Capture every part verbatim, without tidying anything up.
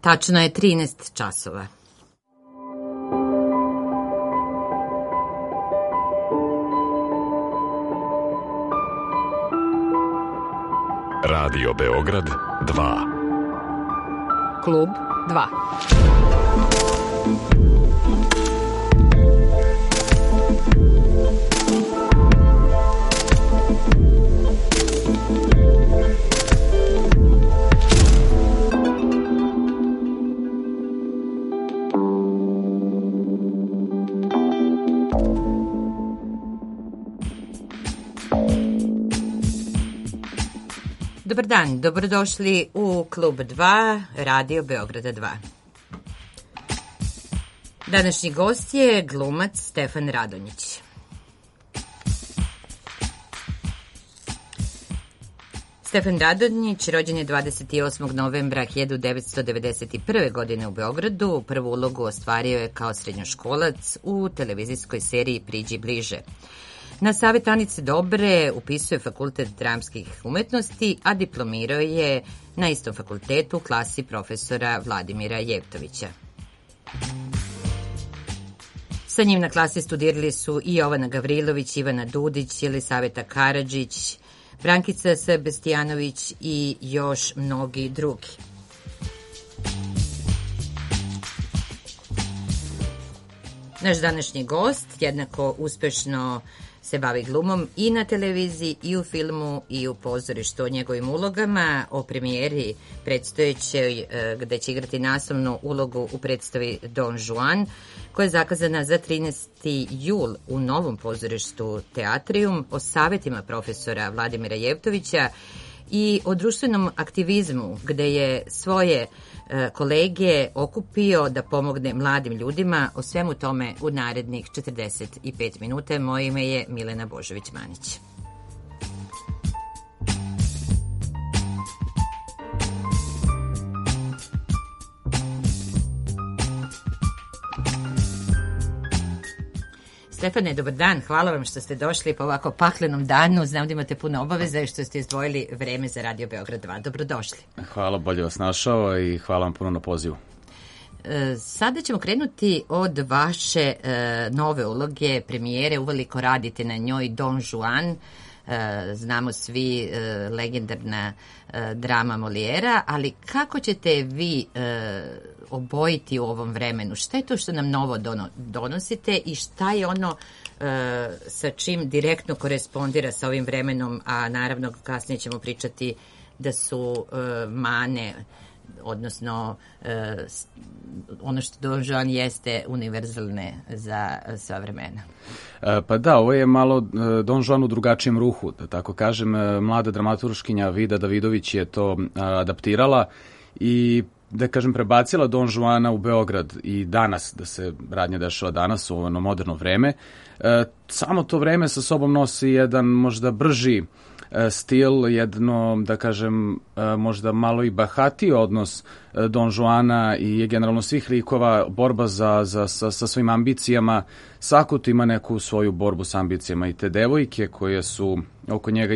Tačno je trinaest časova. Radio Beograd dva. Klub dva. Dobar dan, dobrodošli u Klub dva, Radio Beograda dva. Današnji gost je glumac Stefan Radonjić. Stefan Radonjić rođen je dvadeset osmog novembra hiljadu devetsto devedeset prve. godine u Beogradu. Prvu ulogu ostvario je kao srednjoškolac u televizijskoj seriji Priđi bliže. Na Savet Anice Dobre upisuje Fakultet dramskih umetnosti, a diplomirao je na istom fakultetu u klasi profesora Vladimira Jevtovića. Sa njim na klasi studirali su i Jovana Gavrilović, Ivana Dudić, Jelisaveta Karadžić, Brankica Sebestijanović i još mnogi drugi. Naš današnji gost jednako uspešno se bavi glumom i na televiziji, i u filmu, i u pozorištu. O njegovim ulogama, o premijeri predstojećoj, gde će igrati naslovnu ulogu u predstavi Don Juan, koja je zakazana za trinaesti jul u Novom pozorištu Teatrium, o savetima profesora Vladimira Jevtovića i o društvenom aktivizmu, gde je svoje kolege okupio da pomogne mladim ljudima. O svemu tome u narednih četrdeset pet minuta. Moje ime je Milena Božović-Manić. Stefane, dobar dan. Hvala vam što ste došli po ovako paklenom danu. Znam da imate puno obaveza i što ste izdvojili vreme za Radio Beograd dva. Dobrodošli. Hvala, bolje vas našao i hvala vam puno na pozivu. E, sada ćemo krenuti od vaše e, nove uloge, premijere. Uveliko radite na njoj, Don Juan. E, znamo svi e, legendarna e, drama Molijera, ali kako ćete vi e, obojiti u ovom vremenu? Šta je to što nam novo dono, donosite i šta je ono e, sa čim direktno korespondira sa ovim vremenom, a naravno kasnije ćemo pričati da su e, mane, odnosno e, ono što Don Juan jeste univerzalne za sva vremena. E, pa da, ovo je malo e, Don Juan u drugačijem ruhu, da tako kažem. E, mlada dramaturškinja Vida Davidović je to e, adaptirala i da kažem prebacila Don Juana u Beograd i danas, da se radnja dešava danas u ono moderno vreme. E, samo to vreme sa sobom nosi jedan možda brži stil, jedno, da kažem, možda malo i bahatiji odnos Don Juana i generalno svih likova, borba za, za, sa, sa svojim ambicijama. Svako tu ima neku svoju borbu sa ambicijama i te devojke koje su oko njega,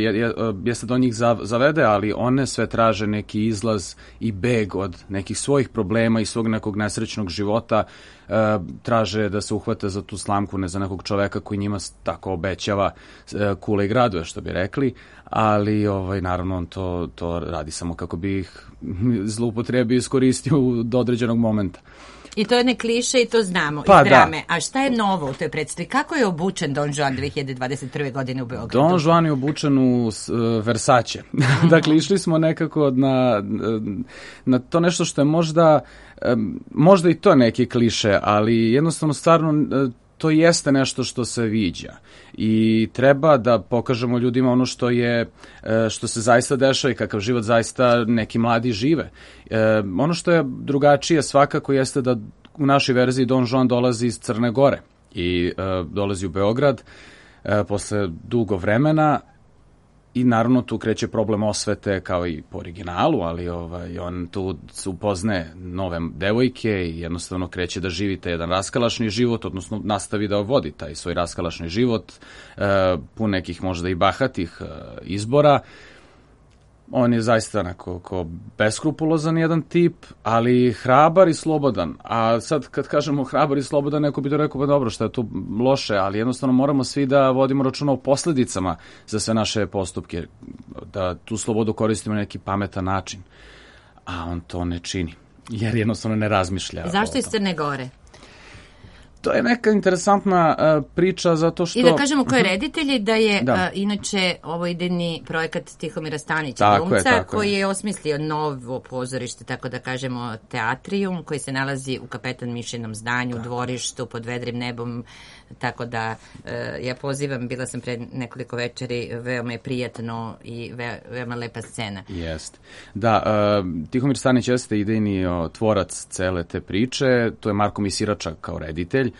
jeste do njih zavede, ali one sve traže neki izlaz i beg od nekih svojih problema i svog nekog nesrećnog života. E, traže da se uhvate za tu slamku, ne za nekog čoveka koji njima tako obećava e, kule i gradove, što bi rekli, ali ovaj, naravno on to, to radi samo kako bi ih zloupotrebio i iskoristio do određenog momenta. I to je ne kliše i to znamo pa, iz drame. Da. A šta je novo u toj predstavi? Kako je obučen Don Juan dve hiljade dvadeset prve. godine u Beogradu? Don Juan je obučen u uh, Versace. Dakle, išli smo nekako na, na to nešto što je možda, um, možda i to neki kliše, ali jednostavno stvarno uh, to jeste nešto što se viđa i treba da pokažemo ljudima ono što je, što se zaista dešava i kakav život zaista neki mladi žive. E, ono što je drugačije svakako jeste da u našoj verziji Don Juan dolazi iz Crne Gore i e, dolazi u Beograd e, posle dugo vremena. I naravno tu kreće problem osvete kao i po originalu, ali ovaj, on tu upoznaje nove devojke i jednostavno kreće da živi taj jedan raskalašni život, odnosno nastavi da vodi taj svoj raskalašni život, e, pun nekih možda i bahatih e, izbora. On je zaista onako ko beskrupulozan jedan tip, ali hrabar i slobodan. A sad kad kažemo hrabar i slobodan, neko bi to rekao, pa dobro, šta je tu loše, ali jednostavno moramo svi da vodimo računa o posledicama za sve naše postupke, da tu slobodu koristimo na neki pametan način. A on to ne čini, jer jednostavno ne razmišlja. Zašto iz Crne Gore? To je neka interesantna uh, priča zato što... I da kažemo ko je reditelj, da je da. Uh, inače ovo idejni projekat Tihomira Stanića, glumca, koji je. je osmislio novo pozorište, tako da kažemo teatrijum, koji se nalazi u Kapetan Mišinom zdanju, tako. U dvorištu, pod vedrim nebom, tako da uh, ja pozivam, bila sam pre nekoliko večeri, veoma je prijatno i ve, veoma lepa scena. Jeste. Da, uh, Tihomir Stanić jeste idejni o, tvorac cele te priče, to je Marko Misirača kao reditelj.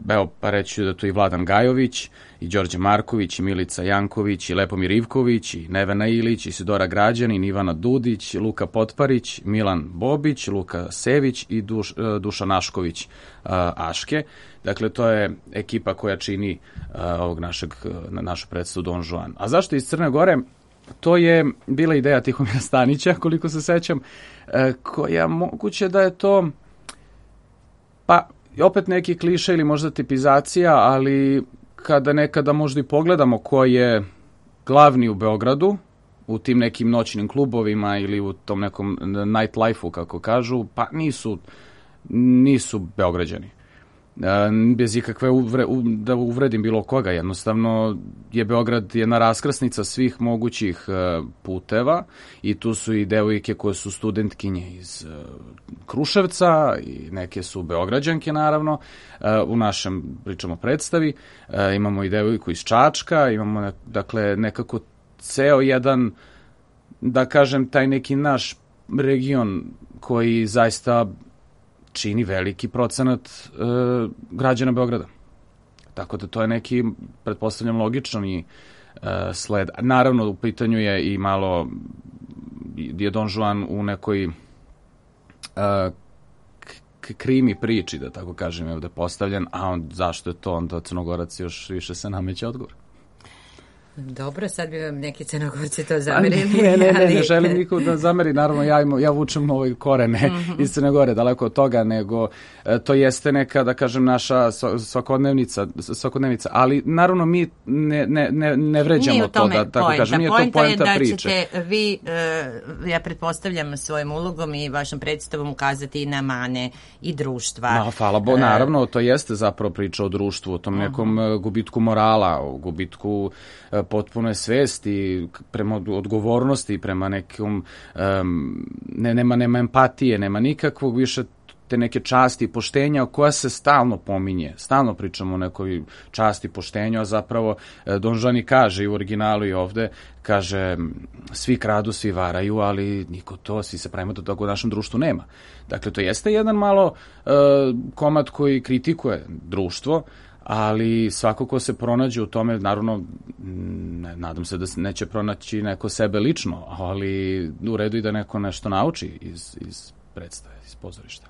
Evo, pa reći da tu i Vladan Gajović, i Đorđe Marković, i Milica Janković, i Lepomir Ivković, i Nevena Ilić, i Sidora Građanin, Ivana Dudić, Luka Potparić, Milan Bobić, Luka Sević i Duš, Duša Našković Aške. Dakle, to je ekipa koja čini ovog našeg, našu predstavu Don Juan. A zašto iz Crne Gore? To je bila ideja Tihomira Stanića, koliko se sećam, koja moguće da je to, pa, opet neki kliše ili možda tipizacija, ali kada nekada možda i pogledamo ko je glavni u Beogradu, u tim nekim noćnim klubovima ili u tom nekom night life-u, kako kažu, pa nisu, nisu Beograđani. Bez ikakve uvre, da uvredim bilo koga, jednostavno je Beograd jedna raskrsnica svih mogućih puteva i tu su i devojke koje su studentkinje iz Kruševca i neke su Beograđanke, naravno, u našem, pričamo, predstavi, imamo i devojku iz Čačka, imamo dakle nekako ceo jedan, da kažem, taj neki naš region koji zaista čini veliki procenat e, građana Beograda. Tako da to je neki, pretpostavljam, logičan i e, sled. Naravno, u pitanju je i malo, je Don Juan u nekoj e, k- krimi priči, da tako kažem, je ovde postavljen, a on, zašto je to, onda Crnogorac još više se nameće odgovor. Dobro, sad bi vam neki Crnogorci to zamerili. Ne, ne, ne, ne želim nikog da zameri, naravno ja, im, ja vučem ove korene mm-hmm. iz Crne Gore, daleko od toga, nego e, to jeste neka, da kažem, naša svakodnevnica, svakodnevnica, ali naravno mi ne, ne, ne, ne vređamo to, da tako poenta. kažem, nije to poenta priče. Poenta je da ćete vi, e, ja pretpostavljam svojim ulogom i vašom predstavom ukazati na mane i društva. Ma, hvala Bo, naravno, to jeste zapravo priča o društvu, o tom nekom uh-huh. gubitku morala, o gubitku potpuno svesti prema odgovornosti, prema nekom um, ne, nema, nema empatije, nema nikakvog više te neke časti i poštenja koja se stalno pominje. Stalno pričamo o nekoj časti i poštenju, a zapravo Don Juan i kaže i u originalu i ovde, kaže svi kradu, svi varaju, ali niko to, svi se pravimo da toga u našem društvu nema. Dakle, to jeste jedan malo uh, komad koji kritikuje društvo, ali svako ko se pronađe u tome, naravno, ne, nadam se da neće pronaći neko sebe lično, ali u redu i da neko nešto nauči iz, iz predstave, iz pozorišta.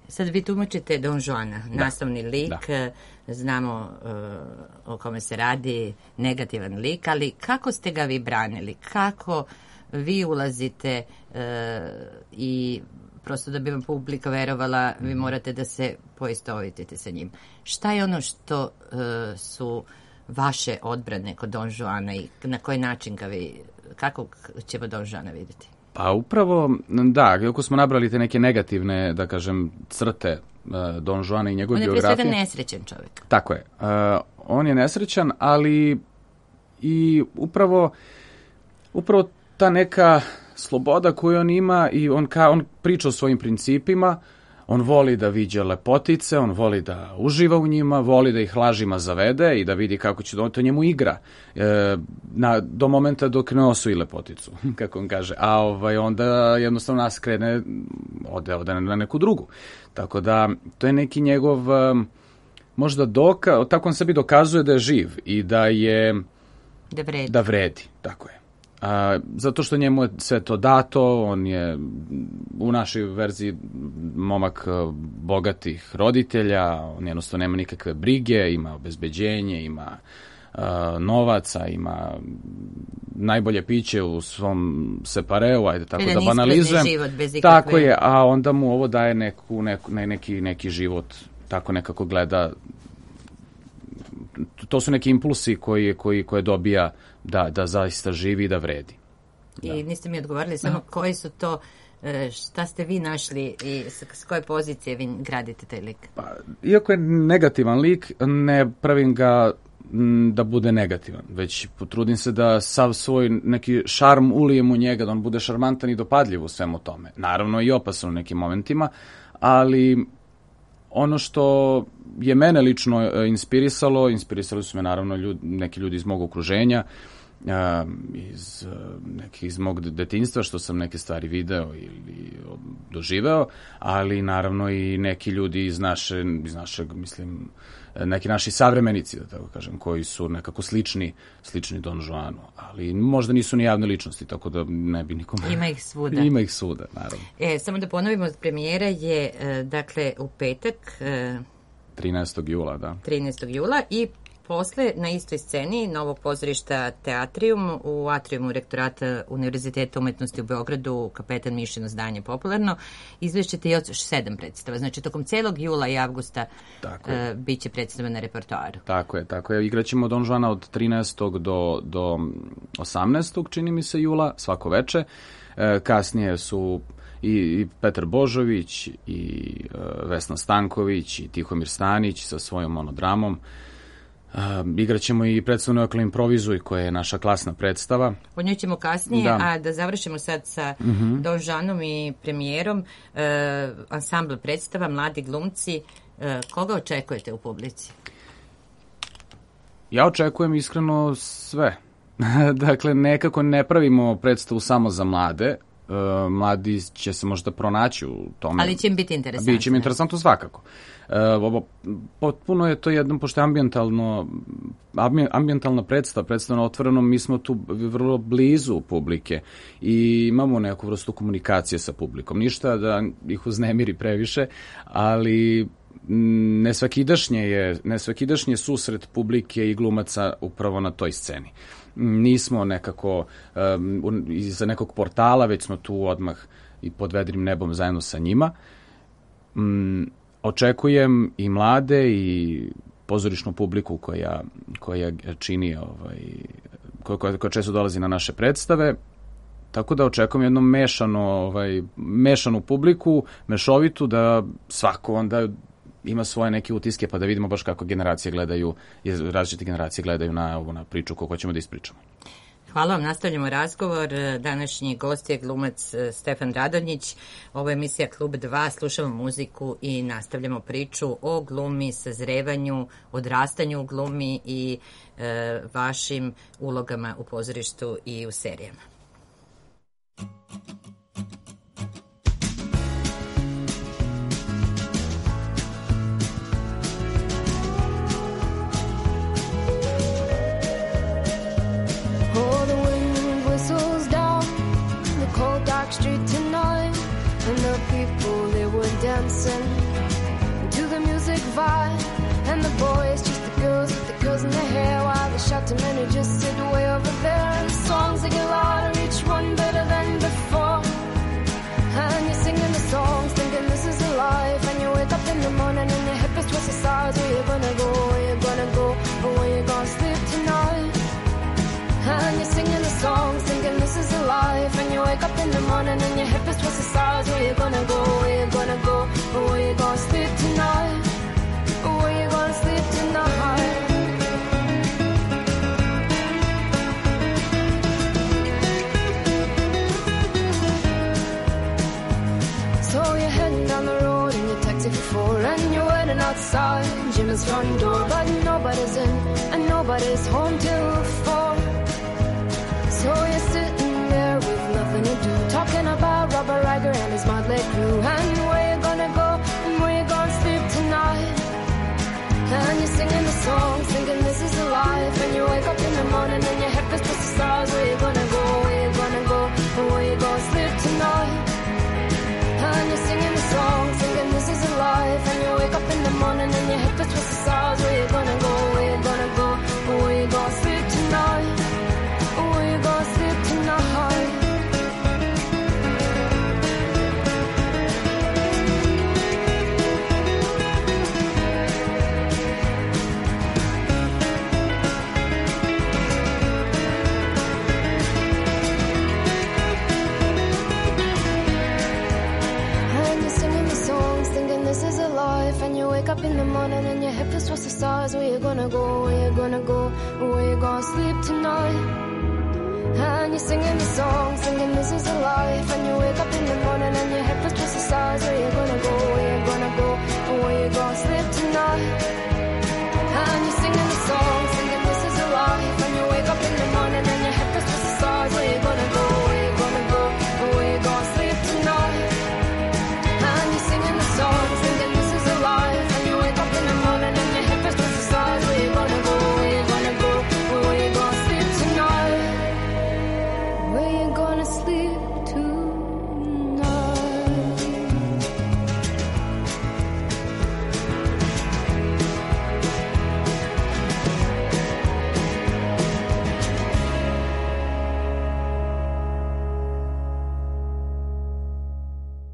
Sad vi tumačite Don Juana, da. Naslovni lik, da. Znamo uh, o kome se radi, negativan lik, ali kako ste ga vi branili? Kako vi ulazite uh, i prosto da bi vam publika verovala, vi morate da se poistovitite sa njim. Šta je ono što uh, su vaše odbrane kod Don Juana i na koji način ga vi, kako ćemo Don Juana vidjeti? Pa upravo, da, kako smo nabrali te neke negativne, da kažem, crte uh, Don Juana i njegove biografije. On je pre svega nesrećan čovjek. Tako je. Uh, on je nesrećan, ali i upravo, upravo ta neka sloboda koju on ima i on, ka, on priča o svojim principima, on voli da viđa lepotice, on voli da uživa u njima, voli da ih lažima zavede i da vidi kako će to njemu igra e, na, do momenta dok ne osvoji lepoticu, kako on kaže, a ovaj, onda jednostavno nas krene, ode, ode na neku drugu. Tako da to je neki njegov možda doka, tako on sebi dokazuje da je živ i da je da vredi, da vredi, tako je. A, zato što njemu je sve to dato, on je u našoj verziji momak bogatih roditelja, on jednostavno nema nikakve brige, ima obezbeđenje, ima novaca, ima najbolje piće u svom separeu, ajde tako da banalizujem. Život bez ikakve... Tako je, a onda mu ovo daje neku, neku, ne, neki, neki život, tako nekako gleda. To su neki impulsi koji, koji, koje dobija da, da zaista živi i da vredi. Da. I niste mi odgovorili samo no. koji su to, šta ste vi našli i s koje pozicije vi gradite taj lik? Pa, iako je negativan lik, ne pravim ga da bude negativan, već potrudim se da sav svoj neki šarm ulijem u njega, da on bude šarmantan i dopadljiv u svemu tome. Naravno i opasan u nekim momentima, ali ono što je mene lično inspirisalo, inspirisali su me naravno ljudi, neki ljudi iz mog okruženja, iz, neki, iz mog detinjstva, što sam neke stvari video ili doživeo, ali naravno i neki ljudi iz, naše, iz našeg, mislim, neki naši savremenici, da tako kažem, koji su nekako slični, slični Don Juanu, ali možda nisu ni javne ličnosti, tako da ne bi nikome... Ima ih svuda. Ima ih svuda, naravno. E, samo da ponovimo, premijera je, dakle, u petak... trinaestog jula, da. trinaestog jula i posle na istoj sceni Novog pozorišta Teatrium u atriumu rektorata Univerziteta umetnosti u Beogradu, Kapetan Mišino zdanje popularno, izvešćete još sedam predstava. Znači, tokom celog jula i avgusta uh, bit će predstava na repertoaru. Tako je, tako je. Igraćemo Don Juana od trinaestog do, do osamnaestog čini mi se, jula, svako veče. E, kasnije su i, i Petar Božović, i uh, Vesna Stanković, i Tihomir Stanić sa svojom monodramom. Uh, igraćemo i predstavu Neokle improvizuj, koja je naša klasna predstava. O njoj ćemo kasnije, da. A da završimo sad sa uh-huh. Don Juanom i premijerom. Uh, ansambl predstava, mladi glumci. Uh, koga očekujete u publici? Ja očekujem iskreno sve. Dakle, nekako ne pravimo predstavu samo za mlade. Uh, mladi će se možda pronaći u tome. Ali će im biti interesantno. Biće im interesantno svakako. Uh, ovo, potpuno je to jedno, pošto je ambijentalno, ambijentalna predstava, predstava na otvorenom, mi smo tu vrlo blizu publike i imamo neku vrstu komunikacije sa publikom. Ništa da ih uznemiri previše, ali nesvakidašnje je, nesvakidašnje susret publike i glumaca upravo na toj sceni. Nismo nekako um, iza nekog portala, već smo tu odmah i pod vedrim nebom zajedno sa njima. Um, očekujem i mlade i pozorišnu publiku koja, koja čini, ovaj, koja, koja često dolazi na naše predstave. Tako da očekujem jednu mešano, ovaj, mešanu publiku, mešovitu, da svako onda ima svoje neke utiske, pa da vidimo baš kako generacije gledaju, različite generacije gledaju na ovu na priču koju ćemo da ispričamo. Hvala vam, nastavljamo razgovor. Današnji gost je glumac Stefan Radonjić. Ovo je emisija Klub dva, slušamo muziku i nastavljamo priču o glumi, sazrevanju, odrastanju u glumi i e, vašim ulogama u pozorištu i u serijama. Street tonight, and the people, they were dancing to the music vibe, and the boys just the girls with the curls in their hair, while the shouting men who just sit way over there, and the songs they get louder, each one better than before, and you're singing the songs thinking this is a life, and you wake up in the morning and your hip is twisted sides. Where you gonna go, where you gonna go, or where you gonna sleep tonight? And you're singing the songs, thinking this is a life. And you wake up in the morning and your hip is twisted sides. Where you gonna go, where you gonna go, or where you gonna sleep tonight? Or where you gonna sleep tonight? So you're heading down the road in your taxi for four, and you're waiting outside Jim's front door, but nobody's in and nobody's home till four. So you're sitting there with nothing to do, talking about Robert Riger and his motley crew, and where you gonna go and where you gonna sleep tonight. And you're singing the songs, thinking this is a life, and you wake up in the morning and your head is just the stars. Where you gonna go, where you gonna go, and where you gonna sleep tonight. And you're singing the songs, thinking this is a life, and you wake up in the morning and your head is just the stars. Where you gonna go, where you gonna go, and where you gonna life and you wake up in the morning and your head feels towards the stars. Where you gonna go, where you gonna go, where you gonna sleep tonight? And you're singing the song, singing this is a life. And you wake up in the morning and your head feels towards the stars. Where you gonna go, where you gonna go, where you gonna sleep tonight? And you're singing the song, singing this is a life. And you wake up in the morning and your head feels towards the stars. Where you gonna go, where you gonna go, where you gonna sleep tonight? And you're singing the song, singing this is a life. And you wake up in the morning and your head feels towards the stars. Where you gonna go, where you gonna go, where you gonna sleep tonight? Where you gonna sleep tonight?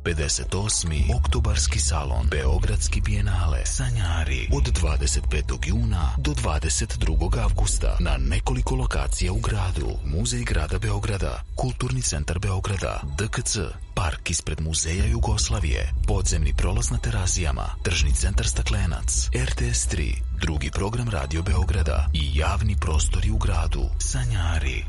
pedeset osmi Oktobarski salon Beogradski bijenale Sanjari od dvadeset petog juna do dvadeset drugog avgusta na nekoliko lokacija u gradu. Muzej grada Beograda, Kulturni centar Beograda, D K C, park ispred Muzeja Jugoslavije, podzemni prolaz na Terazijama, tržni centar Staklenac, R T S tri, drugi program Radio Beograda i javni prostori u gradu. Sanjari.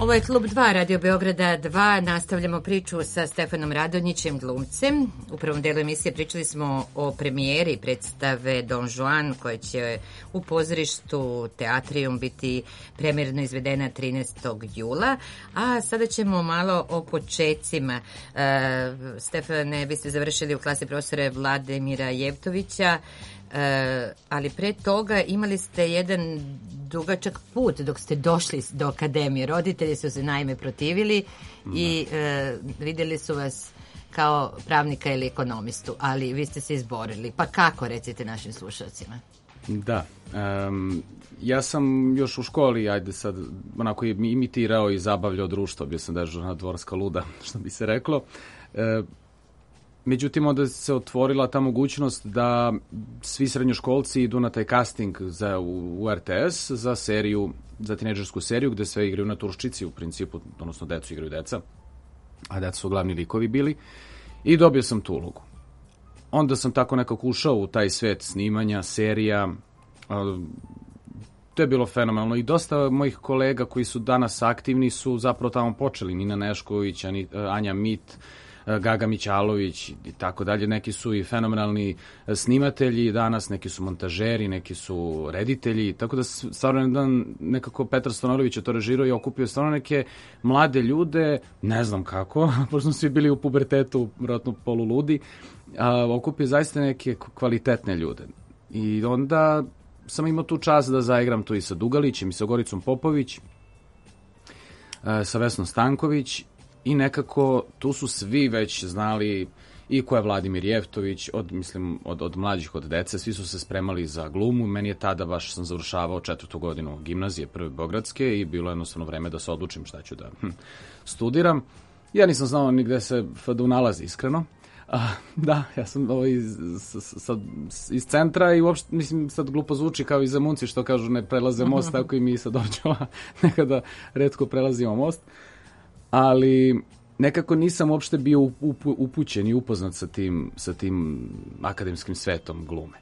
Ovo je Klub dva Radio Beograda dva. Nastavljamo priču sa Stefanom Radonjićem, glumcem. U prvom delu emisije pričali smo o premijeri predstave Don Juan, koja će u pozorištu Teatrium biti premijerno izvedena trinaestog jula. A sada ćemo malo o počecima. E, Stefane, vi ste završili u klasi profesora Vladimira Jevtovića, e, ali pre toga imali ste jedan dugačak put dok ste došli do akademije. Roditelji su se naime protivili i e, vidjeli su vas kao pravnika ili ekonomistu, ali vi ste se izborili. Pa kako, recite našim slušalcima? Da, um, ja sam još u školi, ajde sad, onako imitirao i zabavljao društvo, bio sam dežurna dvorska luda, što bi se reklo. E, Međutim, onda se otvorila ta mogućnost da svi srednjoškolci idu na taj casting za, u, u R T S za seriju, za tinejdžersku seriju gde sve igraju na Turščici, u principu, odnosno decu igraju deca, a deca su glavni likovi bili, i dobio sam tu ulogu. Onda sam tako nekako ušao u taj svet snimanja, serija, to je bilo fenomenalno i dosta mojih kolega koji su danas aktivni su zapravo tamo počeli, Nina Nešković, Anja Mit, Gaga Mićalović i tako dalje. Neki su i fenomenalni snimatelji danas, neki su montažeri, neki su reditelji, tako da stvarno jedan nekako Petar Stonorović je to režirao i okupio stvarno neke mlade ljude, ne znam kako, pošto smo svi bili u pubertetu, vjerojatno poluludi, a, okupio zaista neke kvalitetne ljude. I onda sam imao tu čast da zaigram tu i sa Dugalićem i sa Goricom Popović, a, sa Vesnom Stanković. I nekako tu su svi već znali i ko je Vladimir Jevtović, od, mislim, od, od mlađih, od dece, svi su se spremali za glumu. Meni je tada, baš sam završavao četvrtu godinu gimnazije, prve beogradske, i bilo jednostavno vreme da se odlučim šta ću da hm, studiram. Ja nisam znao ni gde se F D U nalazi, iskreno. A, da, ja sam ovo iz, sad, iz centra i uopšte, mislim, sad glupo zvuči kao i Zemunci što kažu ne prelaze most, tako i mi sad Ovđava nekada retko prelazimo most. Ali nekako nisam uopšte bio upu, upućen i upoznat sa tim, sa tim akademskim svetom glume.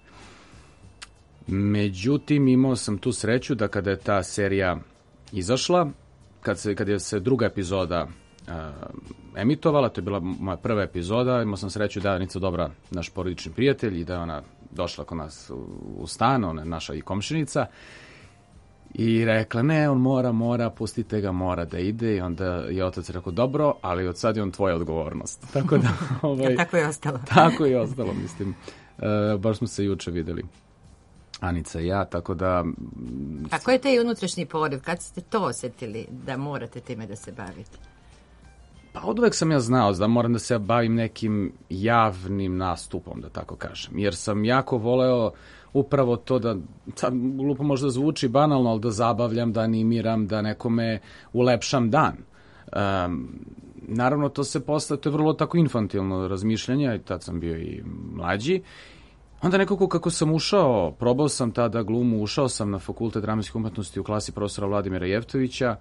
Međutim, imao sam tu sreću da kada je ta serija izašla, kad, se, kad je se druga epizoda uh, emitovala, to je bila moja prva epizoda, imao sam sreću da je Anica Dobra, naš porodični prijatelj, i da je ona došla kod nas u, u stan, ona je naša i komšinica, i rekla, ne, on mora, mora, pustite ga, mora da ide. I onda je otac rekao, dobro, ali od sad je on tvoja odgovornost. Tako da, ovaj, ja, tako je ostalo. Tako je ostalo, mislim. E, baš smo se juče videli, Anica i ja, tako da... A koji je taj unutrašnji poriv? Kad ste to osjetili da morate time da se bavite? Pa od uvek sam ja znao da moram da se bavim nekim javnim nastupom, da tako kažem. Jer sam jako voleo upravo to da, sad glupo možda zvuči banalno, ali da zabavljam, da animiram, da nekome ulepšam dan. Um, naravno to se posle, to je vrlo tako infantilno razmišljanje, i tad sam bio i mlađi. Onda nekako kako sam ušao, probao sam tada glumu, ušao sam na Fakultet dramskih umetnosti u klasi profesora Vladimira Jevtovića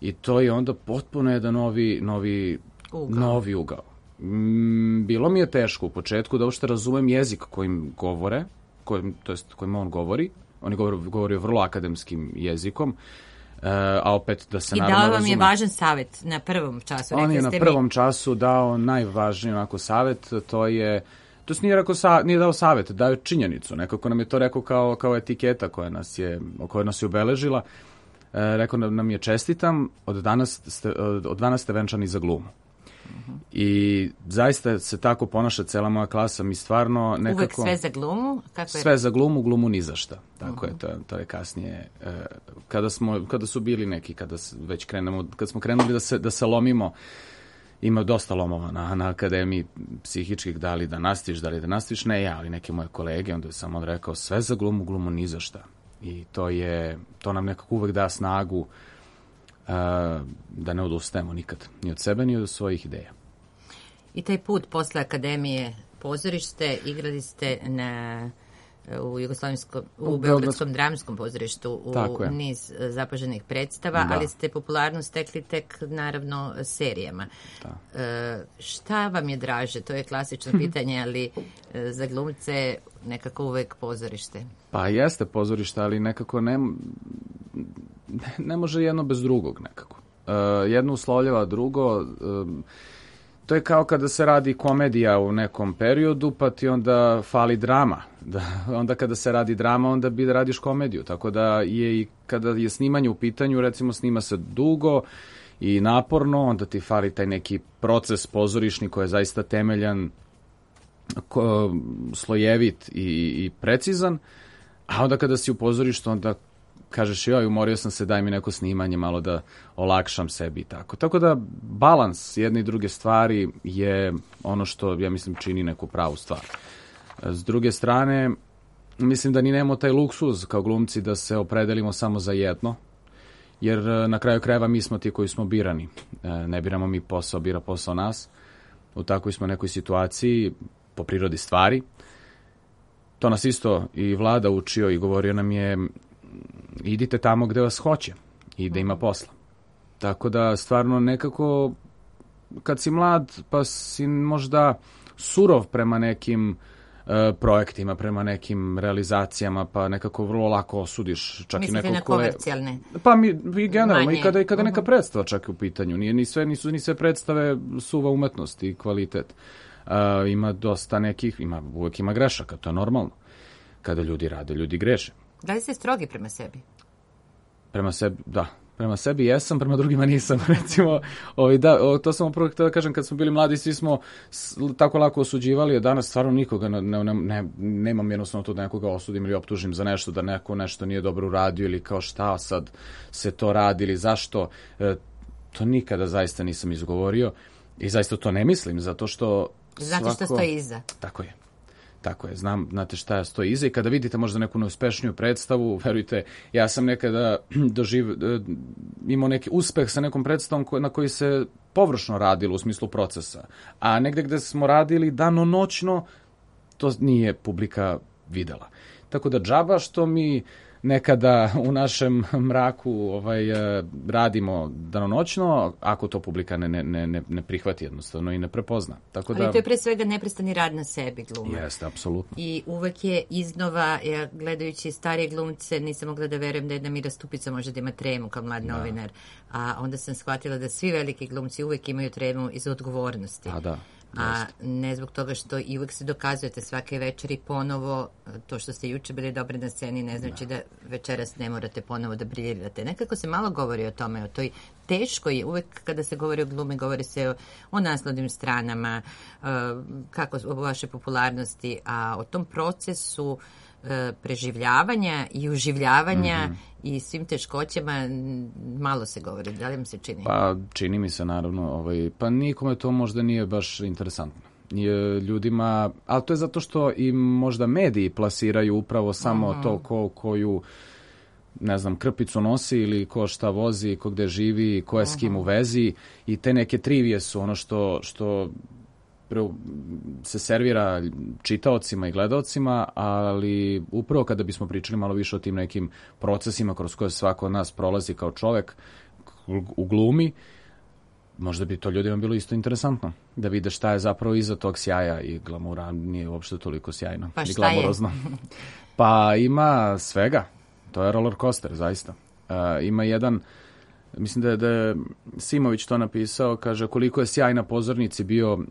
i to je onda potpuno jedan novi, novi, ugao. novi ugao. Mm, bilo mi je teško u početku da uopšte razumem jezik kojim govore, kojim, to jest kojim on govori. On je govorio, govorio vrlo akademskim jezikom, uh, a opet da se I naravno razume. I dao vam je važan savjet na prvom času. On je na mi... prvom času dao najvažniji onako savjet, to je, to nije, rekao sa, nije dao savjet, dao je činjenicu. Nekako nam je to rekao kao, kao etiketa koja nas je, koja nas je obeležila. E, rekao nam je čestitam, od danas ste, od danas ste venčani za glumu. Uh-huh. I zaista se tako ponaša cela moja klasa, mi stvarno nekako... Uvek sve za glumu? Kako je? Sve za glumu, glumu ni za šta. Tako uh-huh. je, to, to je kasnije, e, kada, smo, kada su bili neki, kada već krenemo, kad smo krenuli da se, da se lomimo, ima dosta lomova na, na akademiji psihičkih, da li da nastiš, da li da nastiš, ne ja, ali neke moje kolege, onda je samo rekao sve za glumu, glumu ni za šta. I to je, to nam nekako uvek da snagu uh, da ne odustajemo nikad, ni od sebe, ni od svojih ideja. I taj put posle akademije pozorište, igrali ste na, u Jugoslavijskom, u, u Beogradskom dramskom pozorištu u niz zapaženih predstava, da. Ali ste popularnost stekli tek naravno serijama. Da. E, šta vam je draže? To je klasično pitanje, ali e, za glumce nekako uvek pozorište. Pa jeste pozorište, ali nekako ne, ne može jedno bez drugog nekako. E, jedno uslovljava drugo. E, to je kao kada se radi komedija u nekom periodu, pa ti onda fali drama. Da, onda kada se radi drama, onda bi da radiš komediju. Tako da je i kada je snimanje u pitanju, recimo snima se dugo i naporno, onda ti fali taj neki proces pozorišni koji je zaista temeljan, ko, slojevit i, i precizan. A onda kada si u pozorištu, onda kažeš joj, umorio sam se, daj mi neko snimanje, malo da olakšam sebi i tako. Tako da balans jedne i druge stvari je ono što, ja mislim, čini neku pravu stvar. S druge strane, mislim da ni nemamo taj luksuz kao glumci da se opredelimo samo za jedno, jer na kraju krajeva mi smo ti koji smo birani. Ne biramo mi posao, bira posao nas. U takvoj smo nekoj situaciji, po prirodi stvari. To nas isto i Vlada učio i govorio nam je idite tamo gde vas hoće i da ima posla. Tako da stvarno nekako kad si mlad pa si možda surov prema nekim uh, projektima, prema nekim realizacijama, pa nekako vrlo lako osudiš čak mislite i nekog ko je... Mislite na komercijalne? Pa mi, i generalno, Manje. i kada, i kada neka uh-huh. predstava čak u pitanju. Nije, ni sve, nisu ni sve predstave suva umetnost i kvalitet. Uh, ima dosta nekih, ima, uvek ima grešaka, to je normalno. Kada ljudi rade, ljudi greše. Da li ste strogi prema sebi? Prema sebi, da. Prema sebi jesam, prema drugima nisam. Recimo, ovaj, da, to sam upravo htio da kažem, kad smo bili mladi, svi smo tako lako osuđivali, a danas stvarno nikoga, ne, ne, ne, nemam jednostavno to da nekoga osudim ili optužim za nešto, da neko nešto nije dobro uradio ili kao šta sad se to radi ili zašto. E, to nikada zaista nisam izgovorio i zaista to ne mislim, zato što Znate svako... šta stoji iza. Tako je. Tako je, znam, znate šta stoji iza i kada vidite možda neku neuspešniju predstavu, verujte, ja sam nekada doživ, imao neki uspeh sa nekom predstavom na koji se površno radilo u smislu procesa, a negde gde smo radili danonoćno, to nije publika videla. Tako da džaba što mi nekada u našem mraku ovaj, radimo danonoćno, ako to publika ne, ne, ne, ne prihvati jednostavno i ne prepozna. Tako da... Ali to je pre svega neprestani rad na sebi gluma. Jeste, apsolutno. I uvek je iznova, ja gledajući starije glumce, nisam mogla da verujem da jedna Mira Stupica može da ima tremu kao mlad da. novinar. A onda sam shvatila da svi veliki glumci uvek imaju tremu iz odgovornosti. A da. A ne zbog toga što i uvek se dokazujete svake večeri ponovo, to što ste juče bili dobri na sceni ne znači da, da večeras ne morate ponovo da briljirate. Nekako se malo govori o tome, o toj teško je, uvek kada se govori o glumi, govori se o, o naslovnim stranama, uh, kako o vašoj popularnosti, a o tom procesu uh, preživljavanja i uživljavanja mm-hmm. i svim teškoćama malo se govori. Da li vam se čini? Pa čini mi se naravno. Ovaj, pa nikome to možda nije baš interesantno. Je ljudima, ali to je zato što i možda mediji plasiraju upravo samo mm-hmm. to ko, koju ne znam, krpicu nosi ili ko šta vozi, ko gde živi, ko je s kim u vezi i te neke trivije su ono što, što se servira čitaocima i gledaocima, ali upravo kada bismo pričali malo više o tim nekim procesima kroz koje svako od nas prolazi kao čovek u glumi, možda bi to ljudima bilo isto interesantno, da vide šta je zapravo iza tog sjaja i glamura, nije uopšte toliko sjajno pa i glamurozno. Pa ima svega, to je roller coaster, zaista. Uh, ima jedan, mislim da je, da je Simović to napisao, kaže koliko je sjaj na pozornici bio uh,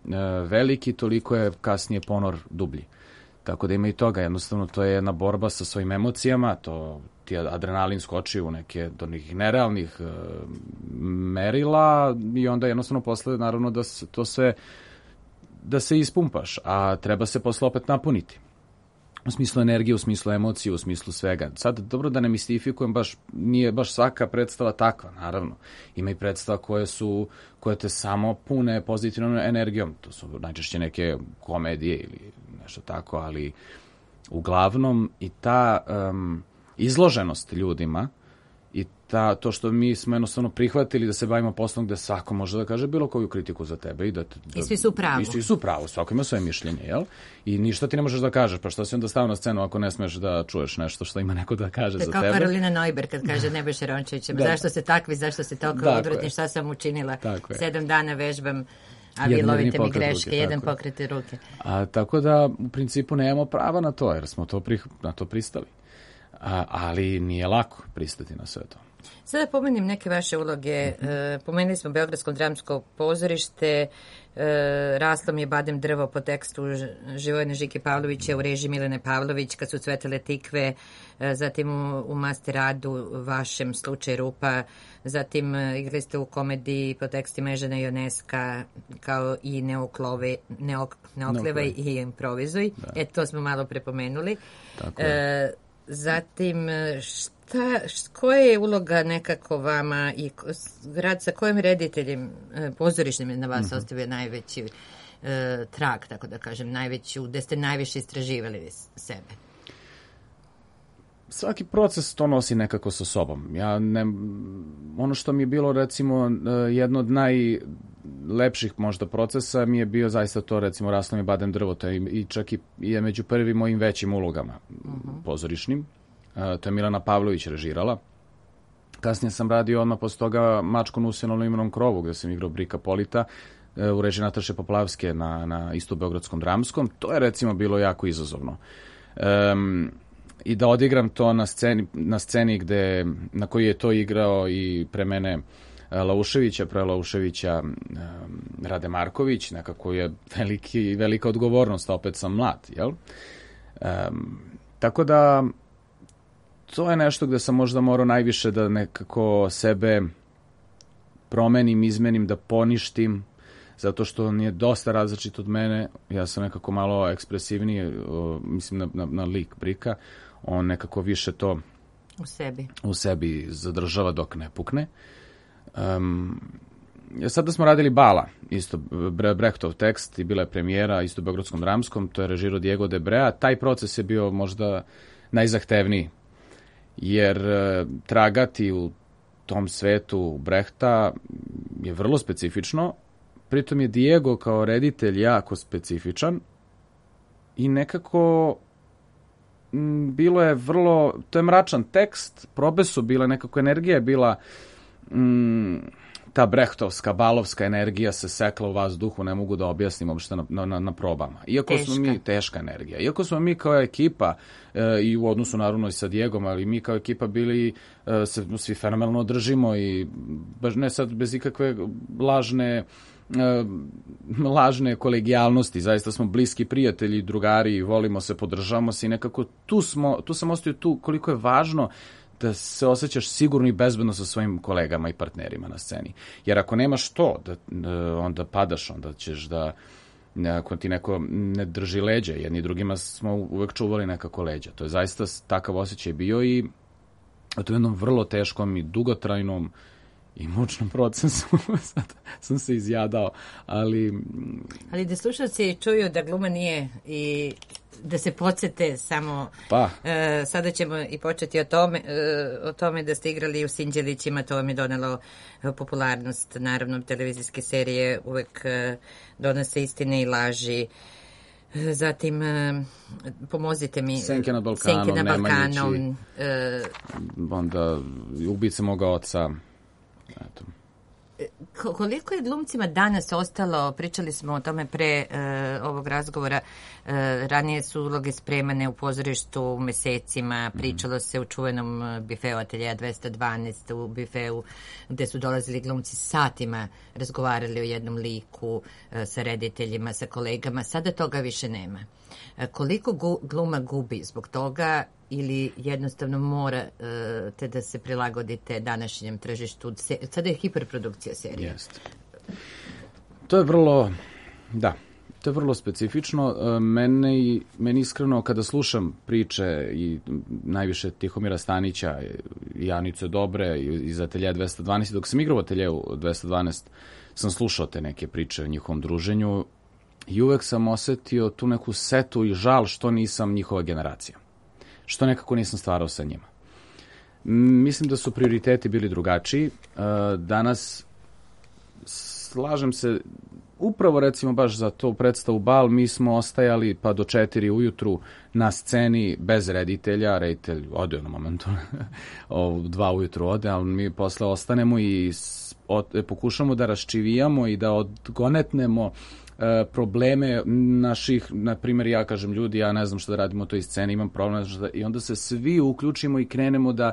veliki, toliko je kasnije ponor dublji. Tako da ima i toga, jednostavno to je jedna borba sa svojim emocijama, to ti adrenalin skoči u neke do nekih nerealnih uh, merila i onda jednostavno posle naravno da se, to sve da se ispumpaš, a treba se posle opet napuniti. U smislu energije, u smislu emocije, u smislu svega. Sad, dobro da ne mistifikujem, baš, nije baš svaka predstava takva, naravno. Ima i predstava koje su, koje te samo pune pozitivnom energijom. To su najčešće neke komedije ili nešto tako, ali uglavnom i ta um, izloženost ljudima i ta, to što mi smo jednostavno prihvatili da se bavimo poslom gde svako može da kaže bilo koju kritiku za tebe. I, da, da, I svi su pravo. I svi su pravo, svako ima svoje mišljenje, jel? I ništa ti ne možeš da kažeš, pa što si onda stavio na scenu ako ne smeš da čuješ nešto što ima neko da kaže za tebe. To je kao Karolina Neuber kad kaže Nebojša Rončevićem, da. Zašto ste takvi, zašto ste toliko odvratni, šta sam učinila, sedam dana vežbam, a vi lovite mi greške, jedan pokrete ruke. A, tako da, u principu, nemamo prava na to, jer smo to pri, na to pristali. A, ali nije lako pristati na sve to. Sada pomenim neke vaše uloge. Mm-hmm. E, pomenuli smo Beogradsko dramsko pozorište, e, Raslo mi je badem drvo po tekstu Živojne Žike Pavlovića u režiji Milene Pavlović, Kad su cvetale tikve, e, zatim u, u Masteradu vašem Slučaj rupa, zatim e, igrali ste u komediji po tekstima Ežena Ioneska, kao i Neoklove, Neok, Neoklevaj i Improvizuj. Da. E, to smo malo prepomenuli. Tako je. E, zatim, šta Ta, koja je uloga nekako vama i rad sa kojim rediteljem pozorišnim je na vas mm-hmm. ostavio najveći e, trag, tako da kažem, najveću, gde ste najviše istraživali sebe? Svaki proces to nosi nekako sa sobom. Ja ne, ono što mi je bilo recimo jedno od najlepših možda procesa mi je bio zaista to recimo Raslo mi je badem drvo, to je i čak i je među prvim mojim većim ulogama mm-hmm. pozorišnim. Uh, to je Milena Pavlović režirala. Kasnije sam radio odmah posle toga Mačko na usinovnom imenom krovu, gde sam igrao Brika Polita uh, u režiji Nataše Poplavske na, na isto Beogradskom dramskom. To je recimo bilo jako izazovno. Um, I da odigram to na sceni, na sceni gde, na koji je to igrao i pre mene uh, Lauševića, pre Lauševića um, Rade Marković, nekako je veliki, velika odgovornost, a opet sam mlad, jel? Um, tako da to je nešto gde sam možda morao najviše da nekako sebe promenim, izmenim, da poništim, zato što on je dosta različit od mene. Ja sam nekako malo ekspresivniji, mislim na, na, na lik Brika. On nekako više to u sebi, u sebi zadržava dok ne pukne. Um, sada smo radili Bala, isto Brechtov tekst i bila je premijera, isto u Beogradskom dramskom, to je režirao Diego de Brea. Taj proces je bio možda najzahtevniji, jer tragati u tom svetu Brehta je vrlo specifično, pritom je Diego kao reditelj jako specifičan i nekako m, bilo je vrlo, to je mračan tekst, probe su bile, nekako energija je bila, m, ta brehtovska, balovska energija se sekla u vazduhu, ne mogu da objasnim uopšte na, na, na probama. Iako teška. smo mi, teška energija, iako smo mi kao ekipa, e, i u odnosu naravno i sa Diegom, ali mi kao ekipa bili, e, se svi fenomenalno držimo i baš ne sad bez ikakve lažne, e, lažne kolegijalnosti, zaista smo bliski prijatelji, drugari, volimo se, podržavamo se i nekako tu smo, tu sam ostavio tu koliko je važno da se osjećaš sigurno i bezbedno sa svojim kolegama i partnerima na sceni. Jer ako nemaš to, da, onda padaš, onda ćeš da, ako ti neko ne drži leđa, jedni drugima smo uvek čuvali nekako leđa. To je zaista takav osjećaj bio i to je jednom vrlo teškom i dugotrajnom i mučnom procesu. Sad sam se izjadao, ali... Ali da slušalci čuju da gluma nije i da se podsjete samo... Pa. E, sada ćemo i početi o tome, e, o tome da ste igrali u Sinđelićima, to vam je donelo popularnost. Naravno, televizijske serije uvek e, donose istine i laži. Zatim, e, pomozite mi... Senke nad Balkanom, Senke nad Balkanom. Nemanjići, e, onda Ubice moga oca. Eto. Koliko je glumcima danas ostalo, pričali smo o tome pre e, ovog razgovora, e, ranije su uloge spremane u pozorištu mesecima, pričalo se u čuvenom bifeu Ateljeja dvesta dvanaest, u bifeu gde su dolazili glumci satima, razgovarali o jednom liku e, sa rediteljima, sa kolegama, sada toga više nema. E, koliko gu, gluma gubi zbog toga ili jednostavno morate da se prilagodite današnjem tržištu? Sada je hiperprodukcija serija. Jeste. To je vrlo, da, to je vrlo specifično. Mene, meni iskreno kada slušam priče i najviše Tihomira Stanića i Anice Dobre iz Ateljeja dvesta dvanaest, dok sam igrao u Ateljeju dvesta dvanaest, sam slušao te neke priče o njihovom druženju i uvek sam osetio tu neku setu i žal što nisam njihova generacija. Što nekako nisam stvarao sa njima. Mislim da su prioriteti bili drugačiji. Danas, slažem se, upravo recimo baš za to predstavu Bal, mi smo ostajali pa do četiri ujutru na sceni bez reditelja. Reditelj ode na momentu, dva ujutru ode, ali mi posle ostanemo i pokušamo da raščivijamo i da odgonetnemo probleme naših, na primjer ja kažem ljudi, ja ne znam šta da radimo u toj sceni, imam problem, da, i onda se svi uključimo i krenemo da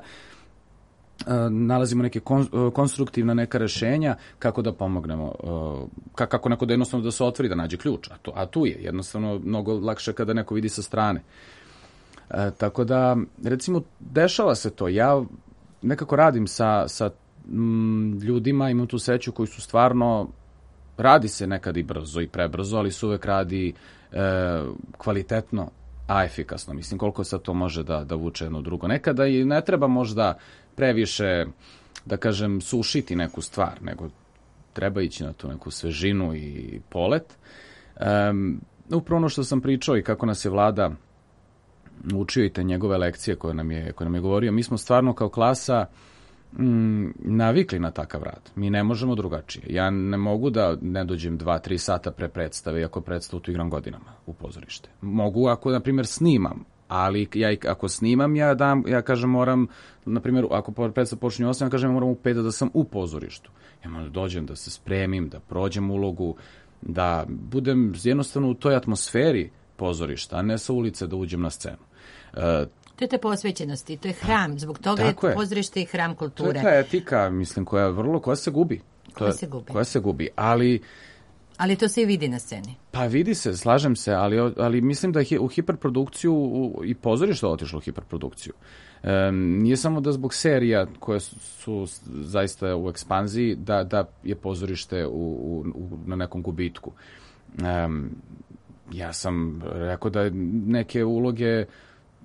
uh, nalazimo neke kon, uh, konstruktivna neka rešenja kako da pomognemo, uh, kako neko da jednostavno da se otvori, da nađe ključ, a, to, a tu je jednostavno mnogo lakše kada neko vidi sa strane. Uh, tako da, recimo, dešava se to, ja nekako radim sa, sa mm, ljudima, imam tu sreću koji su stvarno, radi se nekad i brzo i prebrzo, ali se uvek radi e, kvalitetno, a efikasno. Mislim, koliko sad to može da, da vuče jedno drugo. Nekada i ne treba možda previše, da kažem, sušiti neku stvar, nego treba ići na tu neku svežinu i polet. E, upravo ono što sam pričao i kako nas je Vlada učio i te njegove lekcije koje nam je, koje nam je govorio, mi smo stvarno kao klasa Mm, navikli na takav rad. Mi ne možemo drugačije. Ja ne mogu da ne dođem dva, tri sata pre predstave, iako predstavu tu igram godinama u pozorište. Mogu ako, na primjer, snimam, ali ja ako snimam, ja dam, ja kažem moram, na primjer, ako predstav počinje osam, ja kažem moram u pet da sam u pozorištu. Ja moram da dođem, da se spremim, da prođem ulogu, da budem jednostavno u toj atmosferi pozorišta, a ne sa ulice da uđem na scenu. Uh, To je te posvećenosti, to je hram, zbog toga Tako je, je pozorište i hram kulture. To je ta etika, mislim, koja vrlo, koja se gubi. Koja se gubi. Koja se gubi, ali... Ali to se i vidi na sceni. Pa vidi se, slažem se, ali, ali mislim da je u hiperprodukciju u, i pozorište otišlo u hiperprodukciju. E, nije samo da zbog serija koje su, su zaista u ekspanziji, da, da je pozorište u, u, u, na nekom gubitku. E, ja sam rekao da neke uloge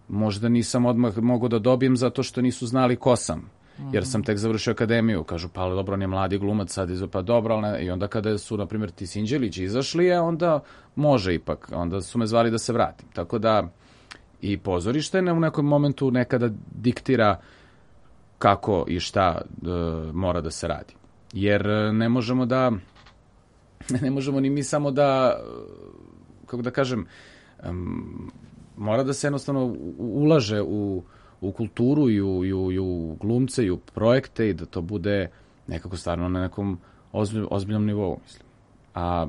možda nisam odmah mogao da dobijem zato što nisu znali ko sam. Jer sam tek završio akademiju. Kažu, pa dobro, on je mladi glumac, sad izve, pa dobro, ali ne. I onda kada su, na primjer, ti Sinđelići izašli, je, onda može ipak. Onda su me zvali da se vratim. Tako da i pozorište ne, u nekom momentu nekada diktira kako i šta e, mora da se radi. Jer ne možemo da, ne možemo ni mi samo da, kako da kažem, um, mora da se jednostavno ulaže u, u kulturu i u, i, u, i u glumce i u projekte i da to bude nekako stvarno na nekom ozbilj, ozbiljnom nivou, mislim. A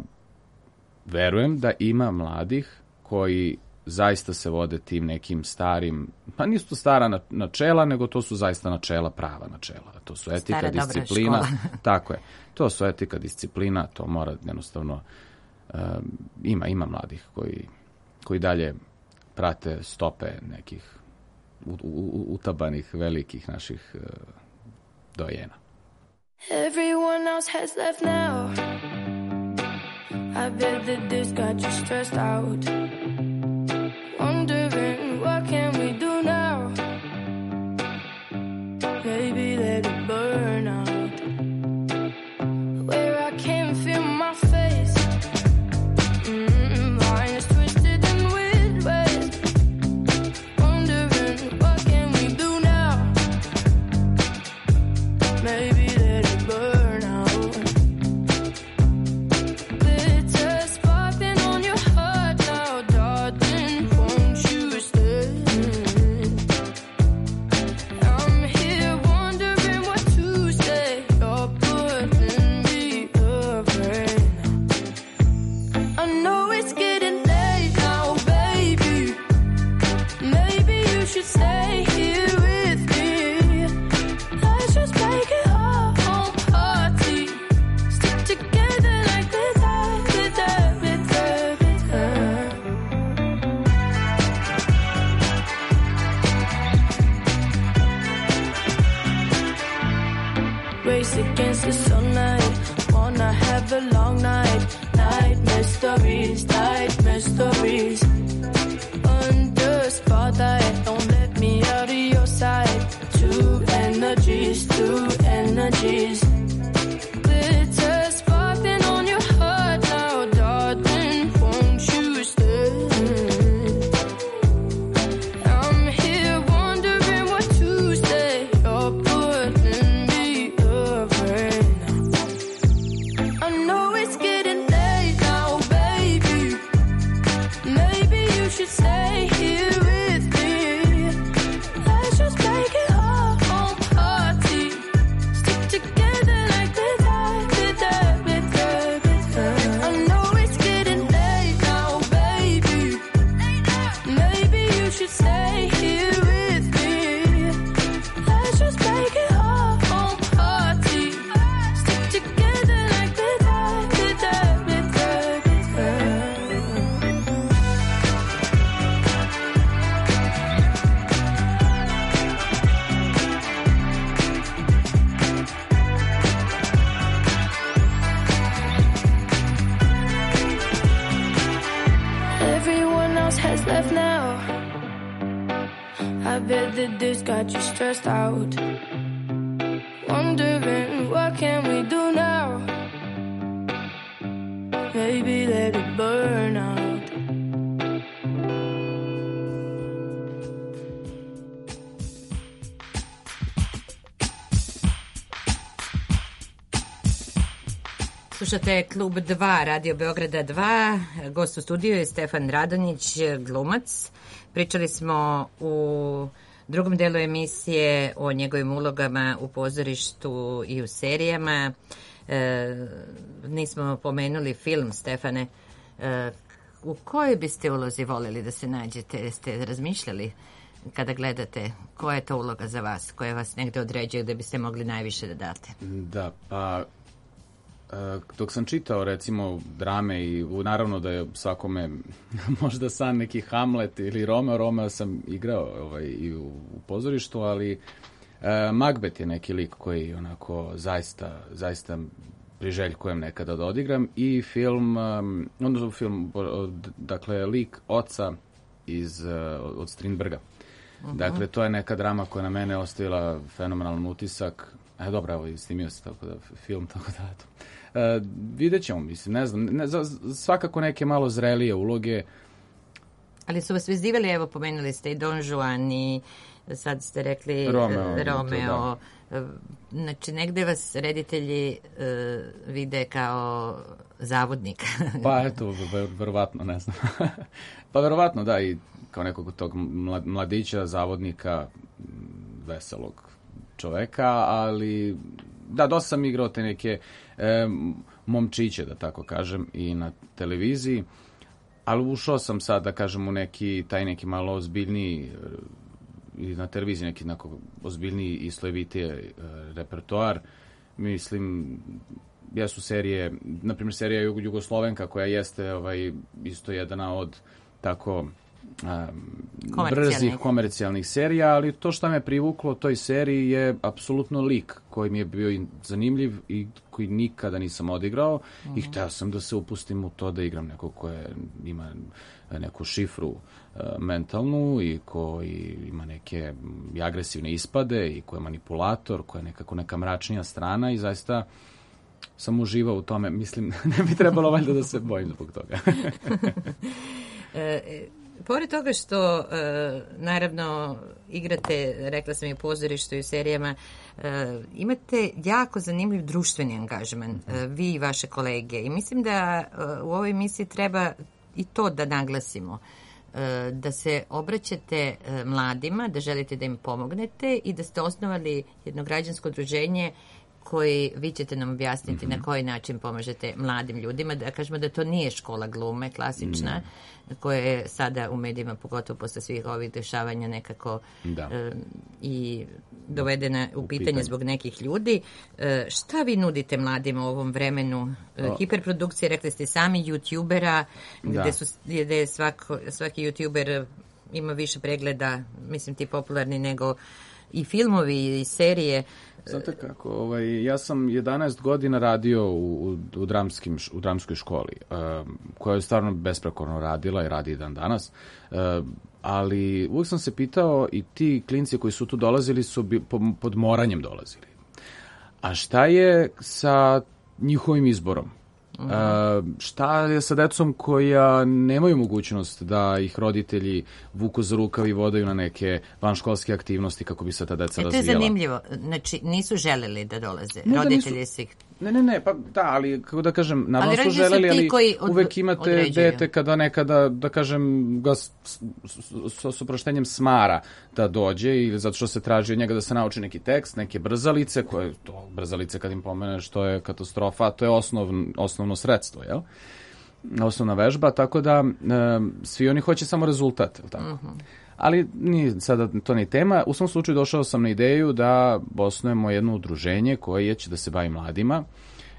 verujem da ima mladih koji zaista se vode tim nekim starim, pa nisu to stara načela, nego to su zaista načela, prava načela. To su etika, stara, disciplina. Tako je. To su etika, disciplina, to mora jednostavno, um, ima, ima mladih koji, koji dalje prate stope nekih utabanih velikih naših uh, dojena. Everyone else has left now. I bet that this got you stressed out. Wondering what can we do now? Maybe let it burn out. memories like mysteries. Under spotlight, don't let me out of your sight. Two energies, two energies. Glitter sparkling on your heart now, darling, won't you stay? I'm here wondering what to say. You're putting me away. I know it's getting late now, baby. Maybe you should stay here with me. Let's just make it our own party. Stick together like with that, with that, with that, with that. I know it's getting late now, baby. Maybe you should stay here with me. Let's just make it our own party. Stick together like with that, with that, with that, with that. Everyone else has left now. I bet that this got you stressed out. Wondering what can we do now? Maybe let it burn out. Slušate Klub dva, Radio Beograda dva. Gost u studiju je Stefan Radonjić, glumac. Pričali smo u drugom delu emisije o njegovim ulogama u pozorištu i u serijama. E, nismo pomenuli film, Stefane. E, u kojoj biste ulozi voleli da se nađete? Jeste razmišljali kada gledate koja je to uloga za vas, koja vas negde određuje gde biste mogli najviše da date? Da, pa dok sam čitao recimo drame i naravno da je svakome možda san neki Hamlet ili Romeo, Romeo sam igrao ovaj, i u, u pozorištu, ali e, Macbeth je neki lik koji onako zaista, zaista priželjkujem nekada da odigram i film, um, odnosno film, dakle lik oca iz, od Strindberga. Uh-huh. Dakle, to je neka drama koja na mene ostavila fenomenalan utisak. E, dobro, evo, snimio se tako da, film, tako da, eto. Uh, vidjet ćemo, mislim, ne znam, ne, za, svakako neke malo zrelije uloge. Ali su vas vezivali, evo, pomenuli ste i Don Juan i sad ste rekli Romeo. Romeo. To, znači, negde vas reditelji uh, vide kao zavodnika. Pa eto, verovatno, ne znam. Pa verovatno, da, i kao nekog tog mladića, zavodnika, veselog čoveka, ali da, dosta sam igrao te neke e, momčiće, da tako kažem, i na televiziji, ali ušao sam sad, da kažem, u neki, taj neki malo ozbiljniji, i na televiziji neki neko ozbiljniji i slojevitije e, repertoar. Mislim, jesu serije, na primjer serija Jugoslovenka, koja jeste ovaj, isto jedna od tako Um, brzih komercijalnih serija, ali to što me privuklo toj seriji je apsolutno lik koji mi je bio zanimljiv i koji nikada nisam odigrao. Uh-huh. I hteo sam da se upustim u to da igram nekog koje ima neku šifru uh, mentalnu i koji ima neke i agresivne ispade i koji je manipulator, koja je nekako neka mračnija strana i zaista sam uživao u tome. Mislim, ne bi trebalo valjda da se bojim zbog toga. e, Pored toga što, e, naravno, igrate, rekla sam i u pozorištu i u serijama, e, imate jako zanimljiv društveni angažman, e, vi i vaše kolege. I mislim da e, u ovoj emisiji treba i to da naglasimo, e, da se obraćate e, mladima, da želite da im pomognete i da ste osnovali jedno građansko udruženje koji vi ćete nam objasniti mm-hmm. na koji način pomažete mladim ljudima, da kažemo da to nije škola glume klasična, mm. koja je sada u medijima, pogotovo posle svih ovih dešavanja nekako e, i dovedena u, u pitanje, pitanje zbog nekih ljudi. E, šta vi nudite mladima u ovom vremenu e, hiperprodukcije, rekli ste sami, youtubera, da. gde, su, gde je svako, svaki youtuber ima više pregleda, mislim ti popularni nego i filmovi i serije. Znate kako, ovaj, ja sam jedanaest godina radio u, u, u, dramskim, u dramskoj školi, um, koja je stvarno besprekorno radila i radi i dan danas, um, ali uvijek sam se pitao i ti klinci koji su tu dolazili su bi, po, pod moranjem dolazili. A šta je sa njihovim izborom? Uh, šta je sa decom koja nemaju mogućnost da ih roditelji vuku za rukav i vodaju na neke vanškolske aktivnosti kako bi se ta deca e, razvijala? To je zanimljivo. Znači, nisu želeli da dolaze. Ne, roditelji nisu, su ih... Ne, ne, ne, pa da, ali kako da kažem, naravno ali su želeli, ali od, uvek imate određuju. dete kada nekada, da kažem, ga s, s, s, s oproštenjem smara da dođe ili zato što se traži od njega da se nauči neki tekst, neke brzalice, koje, to brzalice kad im pomeneš, to je katastrofa, to je osnov, osnovno sredstvo, jel? Osnovna vežba, tako da e, svi oni hoće samo rezultat, jel tako? Uh-huh. Ali nije sada to ni tema. U svom slučaju došao sam na ideju da osnujemo jedno udruženje koje će da se bavi mladima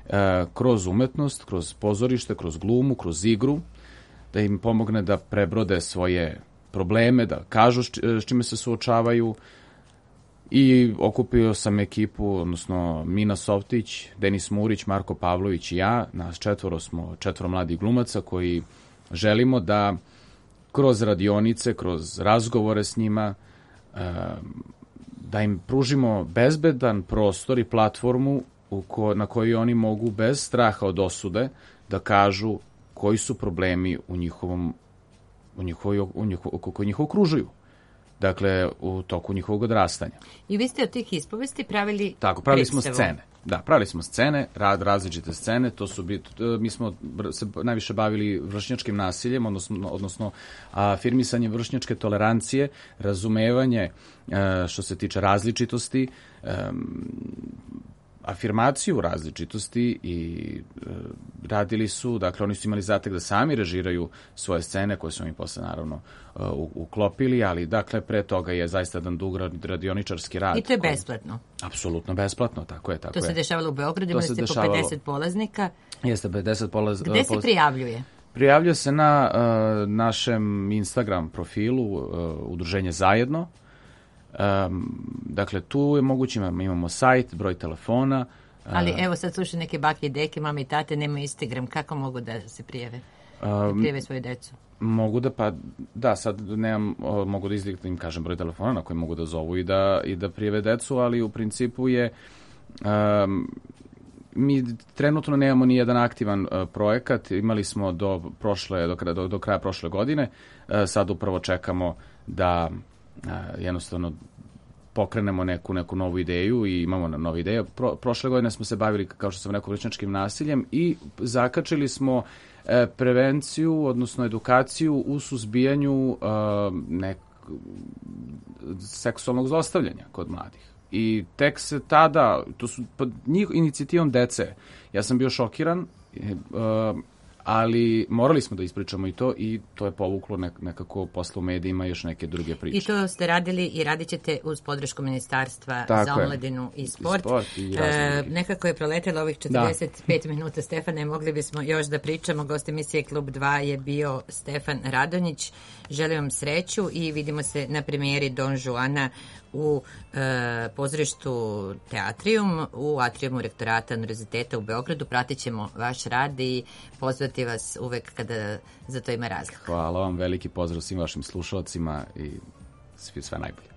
e, kroz umetnost, kroz pozorište, kroz glumu, kroz igru, da im pomogne da prebrode svoje probleme, da kažu s čime se suočavaju. I okupio sam ekipu, odnosno Mina Softić, Denis Murić, Marko Pavlović i ja. Nas četvoro smo četvoro mladih glumaca koji želimo da kroz radionice, kroz razgovore s njima, da im pružimo bezbedan prostor i platformu u ko, na kojoj oni mogu bez straha od osude da kažu koji su problemi u njihovom, u njihovoj, u njihovo, koji njih okružuju. Dakle, u toku njihovog odrastanja. I vi ste od tih ispovesti pravili Tako, pravili predstavu. smo scene. Da, pravili smo scene, rad, različite scene, to su bit, mi smo se najviše bavili vršnjačkim nasiljem, odnosno, odnosno afirmisanje vršnjačke tolerancije, razumevanje što se tiče različitosti, afirmaciju različitosti i e, radili su, dakle oni su imali zatek da sami režiraju svoje scene koje su mi posle naravno e, uklopili, ali dakle pre toga je zaista jedan dug radioničarski rad. I to je koji, besplatno? Apsolutno besplatno, tako je. Tako to se je. dešavalo u Beogradu, imali ste po pedeset polaznika. Jeste, pedeset polaznika. Gde se prijavljuje? Prijavljuje se na uh, našem Instagram profilu uh, Udruženje Zajedno. Um, dakle, tu je moguće, imamo sajt, broj telefona. Ali evo sad slušaju neke bake i deke, mame i tate, nemaju Instagram, kako mogu da se prijave? Da prijave svoju decu? Mogu da, pa da, sad nemam, mogu da izlikam, im kažem broj telefona na koji mogu da zovu i da, i da prijave decu, ali u principu je um, mi trenutno nemamo ni jedan aktivan uh, projekat, imali smo do prošle, do, do, do kraja prošle godine, uh, sad upravo čekamo da uh, jednostavno pokrenemo neku, neku novu ideju i imamo novu ideju. Pro, prošle godine smo se bavili, kao što sam rekao, vršnjačkim nasiljem i zakačili smo e, prevenciju, odnosno edukaciju u suzbijanju e, nek, seksualnog zlostavljanja kod mladih. I tek se tada, to su pod njih inicijativom dece, ja sam bio šokiran, e, ali morali smo da ispričamo i to i to je povuklo nek, nekako posle u medijima još neke druge priče. I to ste radili i radit ćete uz podršku Ministarstva Tako za je. omladinu i sport. I sport i e, nekako je proletelo ovih četrdeset pet da. minuta, Stefane, mogli bismo još da pričamo. Gost emisije Klub dva je bio Stefan Radonjić. Želim vam sreću i vidimo se na premijeri Don Juana u e, pozorištu Teatrium, u atriumu Rektorata Univerziteta u Beogradu. Pratit ćemo vaš rad i pozvati vas uvek kada za to ima razlog. Hvala vam, veliki pozdrav svim vašim slušalcima i sve najbolje.